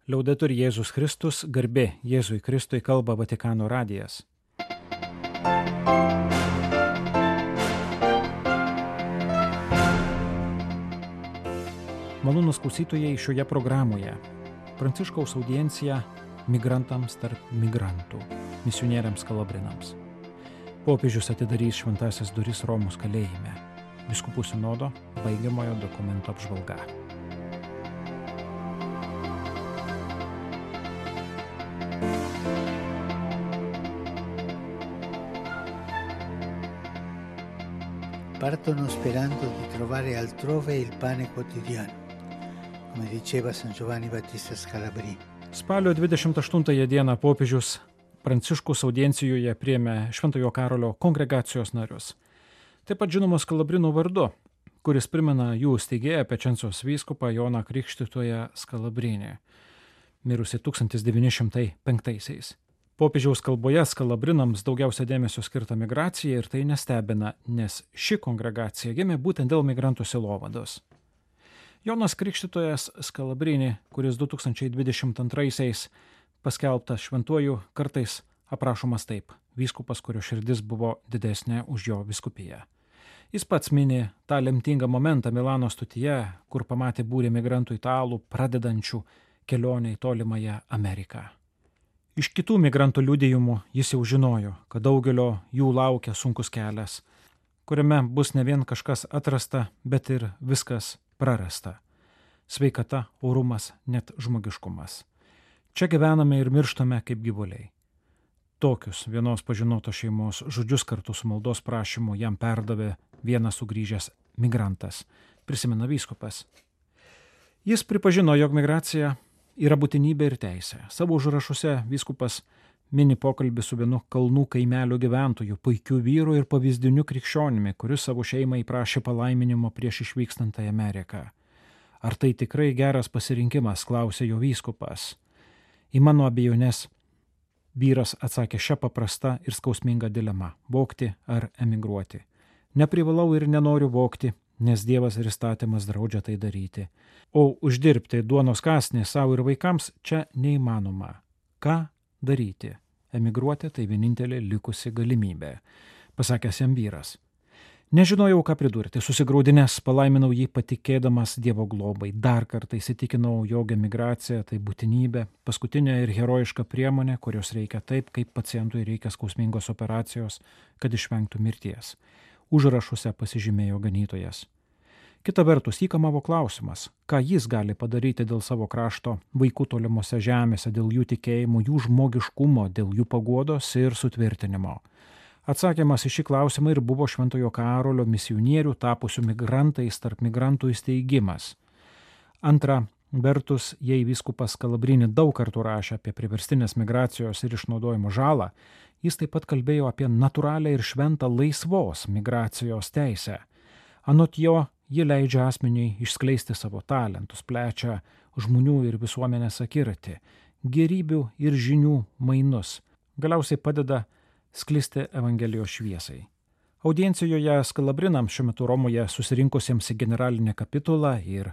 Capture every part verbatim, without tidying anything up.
Liaudetur Jėzus Kristus, garbė Jėzui Kristui, kalba Vatikano radijas. Malonūs klausytojai, šioje programoje Pranciškaus audiencija migrantams tarp migrantų, misionieriams kalabrinams. Popiežius atidarys šventąsias duris Romos kalėjime. Vyskupų sinodo baigiamojo dokumento apžvalga. Partono sperando di trovare altrove il pane quotidiano, come diceva San Giovanni Battista Scalabrini. Spalio dvidešimt aštuntąją dieną popiežius Pranciškus audiencijoje priėmė Šventojo Karolio kongregacijos narius. Taip pat žinomas Skalabrino vardu, kuris primena jų steigėją Pečencijos vyskupą Joną Krikštytoją Skalabrinį, mirusi tūkstantis devyni šimtai penktaisiais. Popiežiaus kalboje Skalabrinams daugiausia dėmesio skirta migracija ir tai nestebina, nes ši kongregacija gimė būtent dėl migrantų sielovados. Jonas Krikštytojas Skalabrinį, kuris du tūkstančiai dvidešimt antraisiais paskelbtas šventuoju, kartais aprašomas taip: vyskupas, kurio širdis buvo didesnė už jo vyskupiją. Jis pats mini tą lemtingą momentą Milano stotyje, kur pamatė būrį migrantų italų pradedančių kelionę į tolimąją Ameriką. Iš kitų migrantų liudijimų jis jau žinojo, kad daugelio jų laukia sunkus kelias, kuriame bus ne vien kažkas atrasta, bet ir viskas prarasta. Sveikata, orumas, net žmogiškumas. Čia gyvename ir mirštame kaip gyvuliai. Tokius vienos pažinotos šeimos žodžius kartu su maldos prašymu jam perdavė vienas sugrįžęs migrantas, prisimena vyskupas. Jis pripažino, jog migracija yra būtinybė ir teisė. Savo užrašuose vyskupas mini pokalbį su vienu kalnų kaimelio gyventoju, puikiu vyru ir pavyzdiniu krikščionimi, kuris savo šeimai prašė palaiminimo prieš išvykstant į Ameriką. Ar tai tikrai geras pasirinkimas, klausė jo vyskupas. Į mano abejonės vyras atsakė šią paprastą ir skausmingą dilemą – vogti ar emigruoti. Neprivalau ir nenoriu vogti, nes Dievas ir įstatymas draudžia tai daryti. O uždirbti duonos kąsnį savo ir vaikams čia neįmanoma. Ką daryti? Emigruoti tai vienintelė likusi galimybė, pasakęs jam vyras. Nežinojau, ką pridurti, susigraudinęs palaiminau jį patikėdamas Dievo globai. Dar kartą įsitikinau, jog emigracija tai būtinybė, paskutinė ir herojiška priemonė, kurios reikia taip, kaip pacientui reikia skausmingos operacijos, kad išvengtų mirties. Užrašuose pasižymėjo ganytojas. Kita vertus, jį kamavo klausimas, ką jis gali padaryti dėl savo krašto vaikų tolimose žemėse, dėl jų tikėjimo, jų žmogiškumo, dėl jų paguodos ir sutvirtinimo. Atsakymas į šį klausimą ir buvo Šventojo Karolio misionierių tapusių migrantais tarp migrantų įsteigimas. Antra vertus, jei vyskupas Skalabrinį daug kartų rašė apie priverstinės migracijos ir išnaudojimo žalą, jis taip pat kalbėjo apie natūralią ir šventą laisvos migracijos teisę. Anot jo, ji leidžia asmeniui išskleisti savo talentus, plečia žmonių ir visuomenės akiratį, gėrybių ir žinių mainus, galiausiai padeda sklisti Evangelijos šviesai. Audiencijoje Skalabrinams šiuo metu Romoje susirinkusiems į generalinę kapitulą ir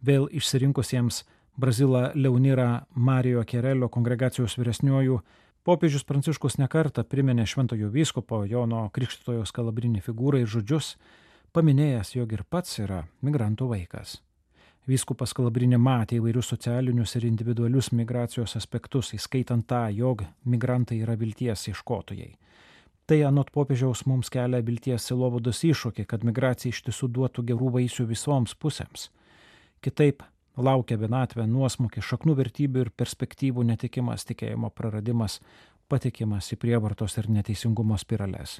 vėl išsirinkusiems Brazilą Leonirą Marijo Kerelio kongregacijos vyresniuoju, popiežius Pranciškus nekartą priminė šventojo vyskupo Jono Krikštytojo Skalabrinį figūrą ir žodžius, paminėjęs, jog ir pats yra migrantų vaikas. Vyskupas Skalabrinį matė įvairius socialinius ir individualius migracijos aspektus, įskaitant tą, jog migrantai yra vilties ieškotojai. Tai anot popiežiaus mums kelia vilties sielovados iššūkį, kad migracija iš tiesų duotų gerų vaisių visoms pusėms. Kitaip laukia vienatvė, nuosmukis, šaknų vertybių ir perspektyvų netikimas, tikėjimo praradimas, patikimas į prievartos ir neteisingumo spirales.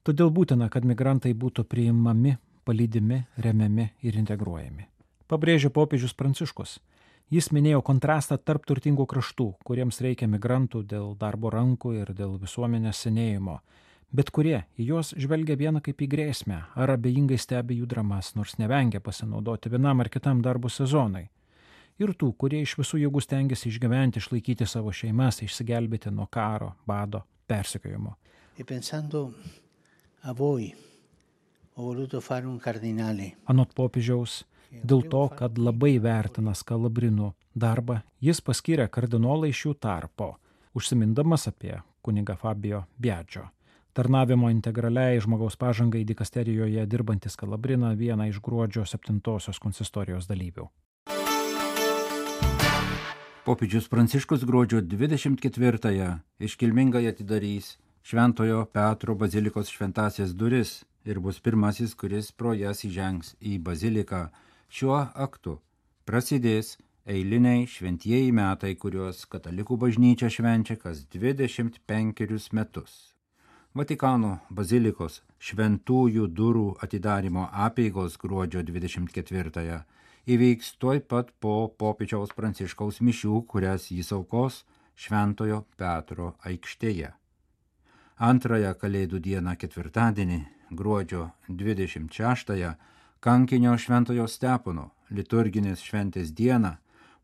Todėl būtina, kad migrantai būtų priimami, palydimi, remiami ir integruojami. Pabrėžė popiežius Pranciškus. Jis minėjo kontrastą tarp turtingų kraštų, kuriems reikia migrantų dėl darbo rankų ir dėl visuomenės senėjimo, bet kurie į juos žvelgia vieną kaip į grėsmę ar abejingai stebi jų dramas, nors nevengia pasinaudoti vienam ar kitam darbo sezonai. Ir tų, kurie iš visų jėgų stengiasi išgyventi, išlaikyti savo šeimas, išsigelbėti nuo karo, bado, persekiojimo. E pensando a voi, ho voluto fare un cardinale. Anot popiežiaus, Dėl to, kad labai vertina Skalabrinų darbą, jis paskyrė kardinolą iš jų tarpo, užsimindamas apie kunigą Fabio Biagio. Tarnavimo integraliai žmogaus pažangai dikasterijoje dirbantį Skalabriną, vieną iš gruodžio septintosios konsistorijos dalyvių. Popiežius Pranciškus gruodžio dvidešimt ketvirtąją iškilmingai atidarys Šventojo Petro bazilikos šventąsias duris ir bus pirmasis, kuris pro jas įžengs į baziliką. Šiuo aktu prasidės eiliniai šventieji metai, kuriuos katalikų bažnyčia švenčia kas dvidešimt penkerius metus. Vatikano bazilikos šventųjų durų atidarimo apeigos gruodžio dvidešimt ketvirtąją įvyks tuoj pat po popiežiaus Pranciškaus mišių, kurias jis aukos Šventojo Petro aikštėje. Antrąją Kalėdų dieną ketvirtadienį, gruodžio dvidešimt šeštąją, kankinio Šventojo Stepono liturginės šventės dieną,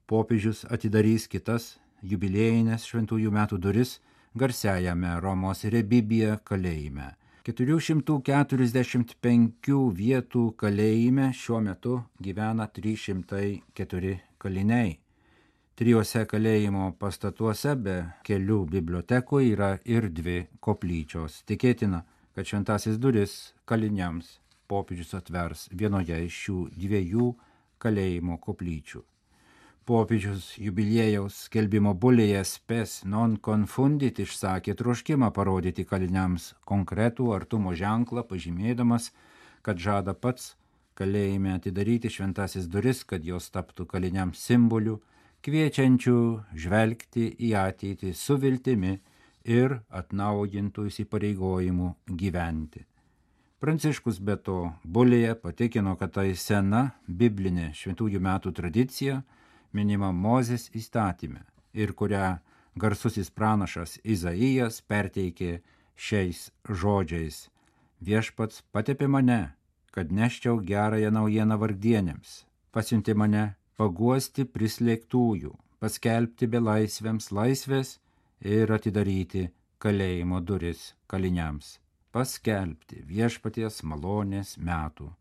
popiežius atidarys kitas jubiliejinės šventųjų metų duris garsiajame Romos Rebibija kalėjime. keturių šimtų keturiasdešimt penkių vietų kalėjime šiuo metu gyvena trys šimtai keturi kaliniai. Trijuose kalėjimo pastatuose be kelių bibliotekų yra ir dvi koplyčios. Tikėtina, kad šventasis duris kaliniams popiežius atvers vienoje iš šių dviejų kalėjimo koplyčių. Popiežius jubiliejaus skelbimo bulėje Spes non confundit išsakė troškimą parodyti kaliniams konkretų artumo ženklą, pažymėdamas, kad žada pats kalėjime atidaryti šventasis duris, kad jos taptų kaliniams simboliu, kviečiančių žvelgti į ateitį su viltimi ir atnaujintų įsipareigojimų gyventi. Pranciškus be to bulėje patikino, kad tai sena biblinė šventųjų metų tradicija, minima Mozės įstatyme ir kurią garsusis pranašas Izaijas perteikė šiais žodžiais: Viešpats patepė mane, kad neščiau gerąją naujieną vargdienėms, pasiuntė mane paguosti prislėgtųjų, paskelbti belaisviams laisvės ir atidaryti kalėjimo duris kaliniams, paskelbti viešpaties malonės metų.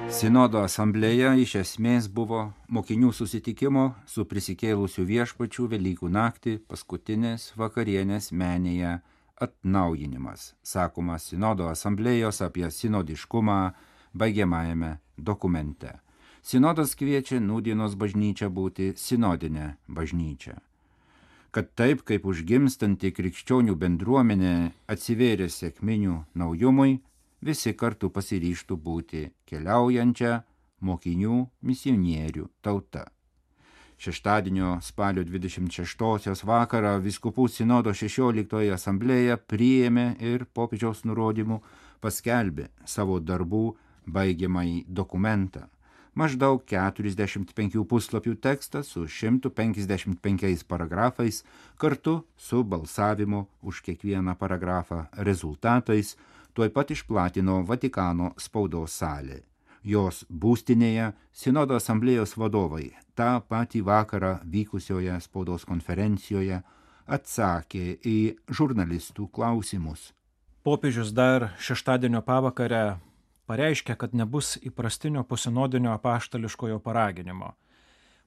Sinodo asamblėja iš esmės buvo mokinių susitikimo su prisikėlusiu viešpačiu Velykų naktį paskutinės vakarienės menėje atnaujinimas, sakoma Sinodo asamblėjos apie sinodiškumą baigiamajame dokumente. Sinodas kviečia nūdienos bažnyčią būti sinodinė bažnyčia. Kad taip kaip užgimstanti krikščionių bendruomenė atsivėrė sekminių naujumui, visi kartu pasiryžtų būti keliaujančia mokinių misionierių tauta. Šeštadienio spalio dvidešimt šeštosios vakarą vyskupų sinodo šešioliktoji asamblėja priėmė ir popiežiaus nurodymų paskelbė savo darbų baigiamąjį dokumentą. Maždaug keturiasdešimt penkių puslapių tekstą su šimtu penkiasdešimt penkiais paragrafais kartu su balsavimu už kiekvieną paragrafą rezultatais tuoj pat išplatino Vatikano spaudos salė. Jos būstinėje Sinodo asamblėjos vadovai tą patį vakarą vykusioje spaudos konferencijoje atsakė į žurnalistų klausimus. Popiežius dar šeštadienio pavakarę pareiškė, kad nebus įprastinio posinodinio apaštališkojo paraginimo.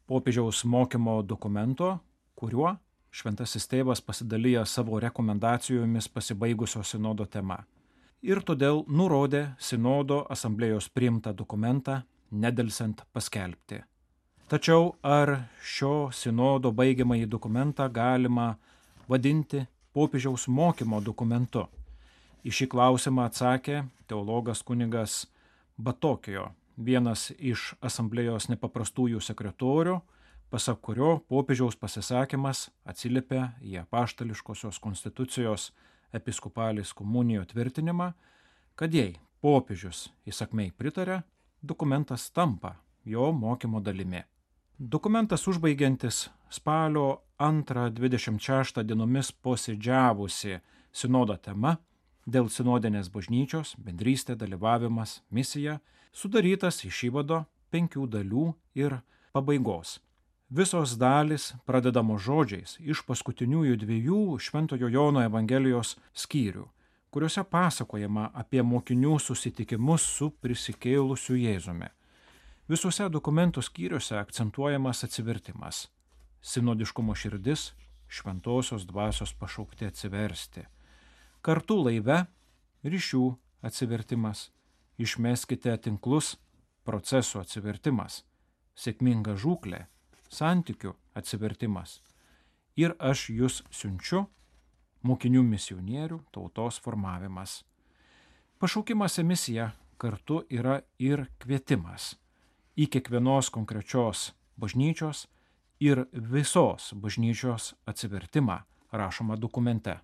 Popiežiaus mokymo dokumento, kuriuo Šventasis Tėvas pasidalijo savo rekomendacijomis pasibaigusio sinodo tema. Ir todėl nurodė sinodo asamblėjos priimtą dokumentą nedelsiant paskelbti. Tačiau ar šio sinodo baigiamąjį dokumentą galima vadinti popiežiaus mokymo dokumentu? Į šį klausimą atsakė teologas kunigas Batokijo, vienas iš asamblėjos nepaprastųjų sekretorių, pasak kurio popiežiaus pasisakymas atsiliepia į apaštališkosios konstitucijos episkopalis komunijo tvirtinimą, kad jei popiežius įsakmiai pritarė, dokumentas tampa jo mokymo dalimi. Dokumentas užbaigiantis spalio antrą dvidešimt šeštą dienomis posėdžiavusi sinodo tema dėl sinodinės bažnyčios, bendrystė, dalyvavimas, misija, sudarytas iš įvado penkių dalių ir pabaigos. Visos dalys pradedamos žodžiais iš paskutiniųjų dviejų Šventojo Jono Evangelijos skyrių, kuriuose pasakojama apie mokinių susitikimus su prisikėlusiu Jėzumi. Visuose dokumentų skyriuose akcentuojamas atsivertimas. Sinodiškumo širdis, šventosios dvasios pašaukti atsiversti. Kartu laive ryšių atsivertimas, išmeskite tinklus, procesų atsivertimas, sėkminga žūklė, santykių atsivertimas. Ir aš jus siunčiu, mokinių misionierių tautos formavimas. Pašaukimas į misiją kartu yra ir kvietimas į kiekvienos konkrečios bažnyčios ir visos bažnyčios atsivertimą, rašoma dokumente.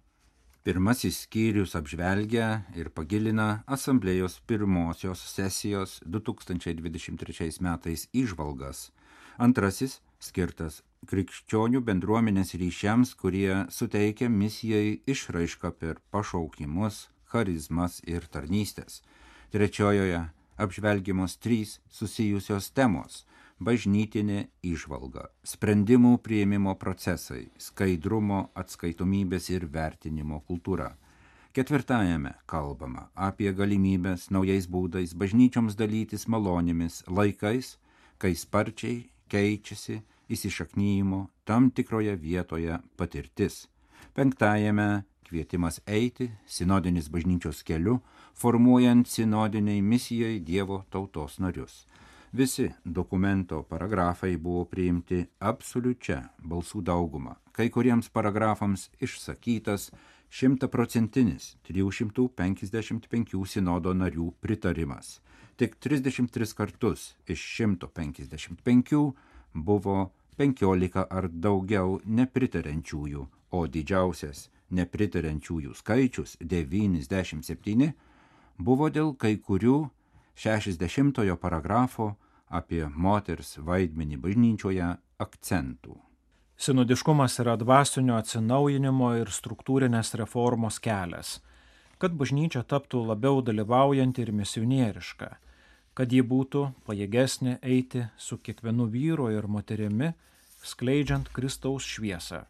Pirmasis skyrius apžvelgia ir pagilina asamblėjos pirmosios sesijos du tūkstančiai dvidešimt trečiais metais įžvalgas. Antrasis skirtas krikščionių bendruomenės ryšiams, kurie suteikia misijai išraišką per pašaukimus, charizmas ir tarnystės. Trečiojoje apžvelgiamos trys susijusios temos – bažnytinė įžvalga, sprendimų priėmimo procesai, skaidrumo, atskaitomybės ir vertinimo kultūra. Ketvirtajame kalbama apie galimybės naujais būdais bažnyčioms dalytis malonėmis laikais, kai sparčiai keičiasi įsišaknyjimo tam tikroje vietoje patirtis. Penktajame kvietimas eiti sinodinis bažnyčios keliu, formuojant sinodiniai misijai Dievo tautos narius. Visi dokumento paragrafai buvo priimti absoliučia balsų dauguma. Kai kuriems paragrafams išsakytas šimtaprocentinis trijų šimtų penkiasdešimt penkių sinodo narių pritarimas. Tik trisdešimt tris kartus iš šimto penkiasdešimt penkių buvo penkiolika ar daugiau nepritariančiųjų, o didžiausias nepritariančiųjų skaičius devyniasdešimt septyni buvo dėl kai kurių šešiasdešimtojo paragrafo apie moters vaidmenį bažnyčioje akcentų. Sinodiškumas yra dvasinio atsinaujinimo ir struktūrinės reformos kelias, kad bažnyčia taptų labiau dalyvaujanti ir misionieriška, kad ji būtų pajėgesnė eiti su kiekvienu vyru ir moterimi, skleidžiant Kristaus šviesą.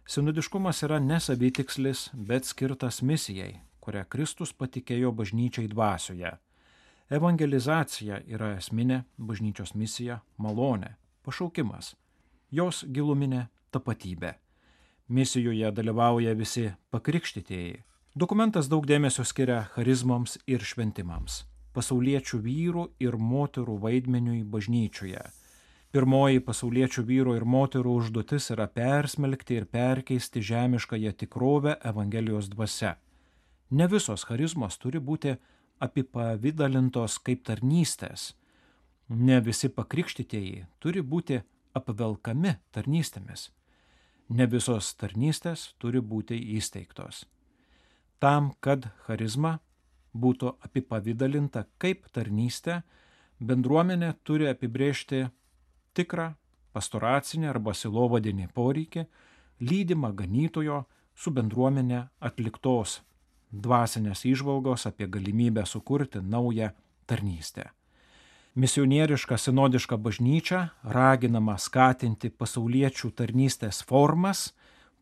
Sinodiškumas yra ne savitikslis, bet skirtas misijai, kurią Kristus patikėjo bažnyčiai dvasioje. Evangelizacija yra esminė bažnyčios misija, malonė, pašaukimas, jos giluminė tapatybė. Misijoje dalyvauja visi pakrikštytieji. Dokumentas daug dėmesio skiria charizmoms ir šventimams, pasauliečių vyrų ir moterų vaidmeniui bažnyčioje. Pirmoji pasauliečių vyrų ir moterų užduotis yra persmelkti ir perkeisti žemiškąją tikrovę Evangelijos dvasia. Ne visos charizmos turi būti apipavidalintos kaip tarnystės. Ne visi pakrikštytieji turi būti apvelkami tarnystėmis. Ne visos tarnystės turi būti įsteigtos. Tam, kad charizma būtų apipavidalinta kaip tarnystė, bendruomenė turi apibrėžti tikrą pastoracinį arba sielovadinį poreikį, lydimą ganytojo su bendruomenė atliktos dvasinės įžvalgos apie galimybę sukurti naują tarnystę. Misionieriška sinodiška bažnyčia raginama skatinti pasauliečių tarnystės formas,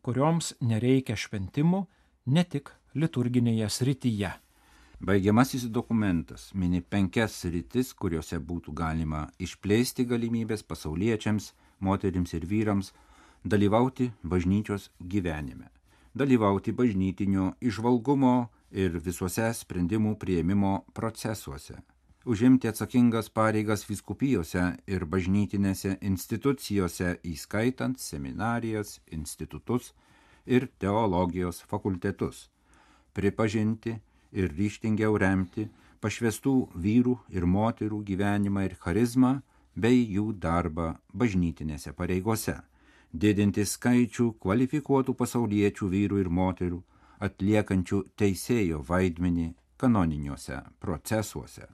kurioms nereikia šventimų ne tik liturginėje srityje. Baigiamasis dokumentas mini penkias sritis, kuriuose būtų galima išplėsti galimybės pasauliečiams, moterims ir vyrams dalyvauti bažnyčios gyvenime, dalyvauti bažnytinio įžvalgumo ir visuose sprendimų priėmimo procesuose, užimti atsakingas pareigas vyskupijose ir bažnytinėse institucijose, įskaitant seminarijas, institutus ir teologijos fakultetus, pripažinti ir ryžtingiau remti pašvestų vyrų ir moterų gyvenimą ir charizmą bei jų darbą bažnytinėse pareigose, didinti skaičių kvalifikuotų pasauliečių vyrų ir moterų, atliekančių teisėjo vaidmenį kanoniniuose procesuose,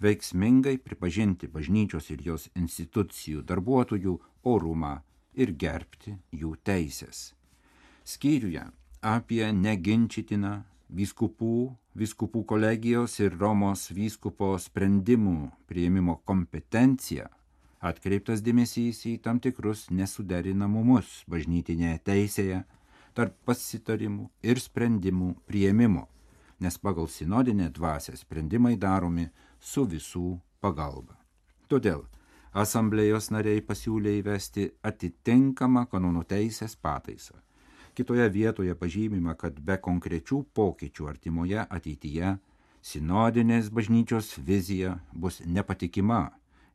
veiksmingai pripažinti bažnyčios ir jos institucijų darbuotojų orumą ir gerbti jų teisės. Skyriuje apie neginčytiną vyskupų, vyskupų kolegijos ir Romos vyskupo sprendimų priėmimo kompetenciją atkreiptas dėmesys į tam tikrus nesuderinamumus bažnytinėje teisėje tarp pasitarimų ir sprendimų priėmimo, nes pagal sinodinę dvasią sprendimai daromi su visų pagalba. Todėl asamblėjos nariai pasiūlė įvesti atitinkamą kanonų teisės pataisą. Kitoje vietoje pažymima, kad be konkrečių pokyčių artimoje ateityje sinodinės bažnyčios vizija bus nepatikima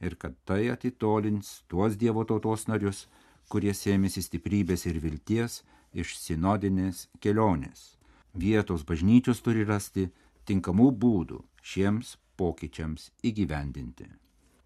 ir kad tai atitolins tuos Dievo tautos narius, kurie sėmėsi stiprybės ir vilties iš sinodinės kelionės. Vietos bažnyčios turi rasti tinkamų būdų šiems pokyčiams įgyvendinti.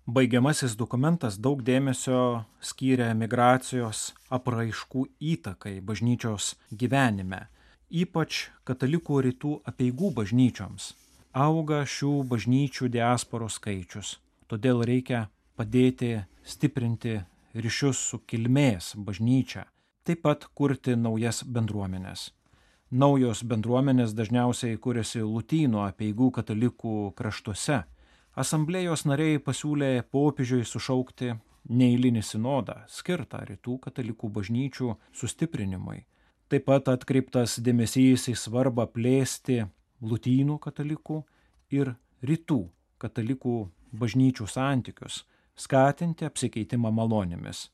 Baigiamasis dokumentas daug dėmesio skyrė migracijos apraiškų įtakai bažnyčios gyvenime, ypač katalikų rytų apeigų bažnyčioms. Auga šių bažnyčių diasporos skaičius, todėl reikia padėti stiprinti ryšius su kilmės bažnyčia, taip pat kurti naujas bendruomenės. Naujos bendruomenės dažniausiai kuriasi lotynų apeigų katalikų kraštuose. Asamblėjos nariai pasiūlė popiežiui sušaukti neeilinį sinodą, skirtą rytų katalikų bažnyčių sustiprinimui. Taip pat atkreiptas dėmesys į svarbą plėsti lotynų katalikų ir rytų katalikų bažnyčių santykius, skatinti apsikeitimą malonėmis.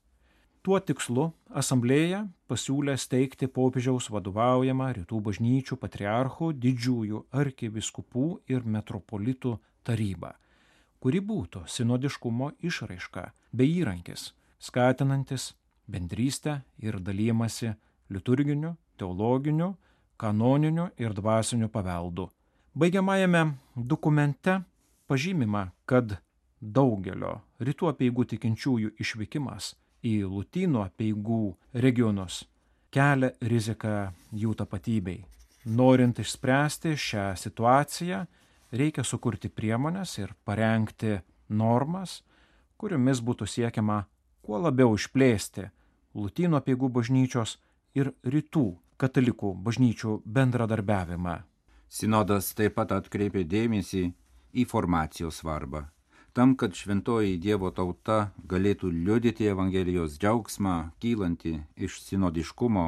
Tuo tikslu asamblėja pasiūlė steigti popiežiaus vadovaujamą rytų bažnyčių patriarchų, didžiųjų arkivyskupų ir metropolitų tarybą, kuri būtų sinodiškumo išraiška bei įrankis, skatinantis bendrystę ir dalijimąsi liturginiu, teologiniu, kanoniniu ir dvasiniu paveldu. Baigiamajame dokumente pažymima, kad daugelio rytų apeigų tikinčiųjų išvykimas į lotynų apeigų regionus kelia riziką jų tapatybei. Norint išspręsti šią situaciją, reikia sukurti priemones ir parengti normas, kuriomis būtų siekiama kuo labiau išplėsti lotynų apeigų bažnyčios ir rytų katalikų bažnyčių bendradarbiavimą. Sinodas taip pat atkreipė dėmesį į formacijos svarbą. Tam, kad šventoji Dievo tauta galėtų liudyti Evangelijos džiaugsmą kylantį iš sinodiškumo,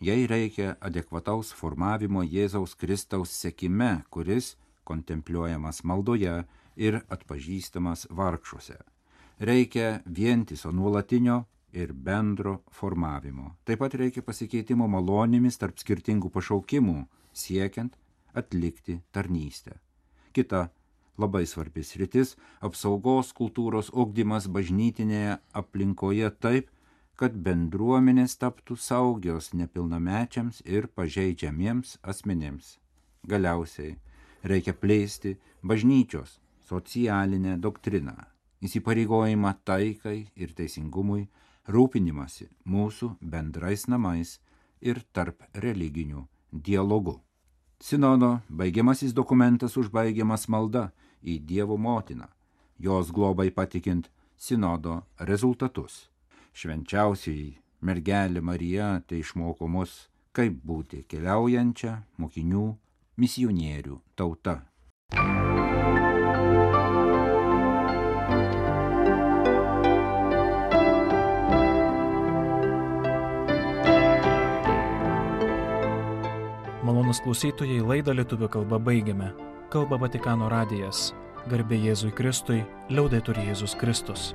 jai reikia adekvataus formavimo Jėzaus Kristaus sekime, kuris kontempliuojamas maldoje ir atpažįstamas vargšuose. Reikia vientiso nuolatinio ir bendro formavimo. Taip pat reikia pasikeitimo malonėmis tarp skirtingų pašaukimų, siekiant atlikti tarnystę. Kita labai svarbi sritis – apsaugos kultūros ugdymas bažnytinėje aplinkoje taip, kad bendruomenės taptų saugios nepilnamečiams ir pažeidžiamiems asmenėms. Galiausiai reikia plėsti bažnyčios socialinę doktriną, įsipareigojimą taikai ir teisingumui, rūpinimąsi mūsų bendrais namais ir tarp religinių dialogų. Sinodo baigiamasis dokumentas užbaigiamas malda į Dievo motiną, jos globai patikint sinodo rezultatus. Švenčiausioji mergelė Marija tai išmoko mus, kaip būti keliaujančia mokinių misionierių tauta. Malonūs klausytojai, laidą lietuvių kalba baigiame. Kalba Vatikano radijas. Garbė Jėzui Kristui, liaudetur Jėzus Kristus.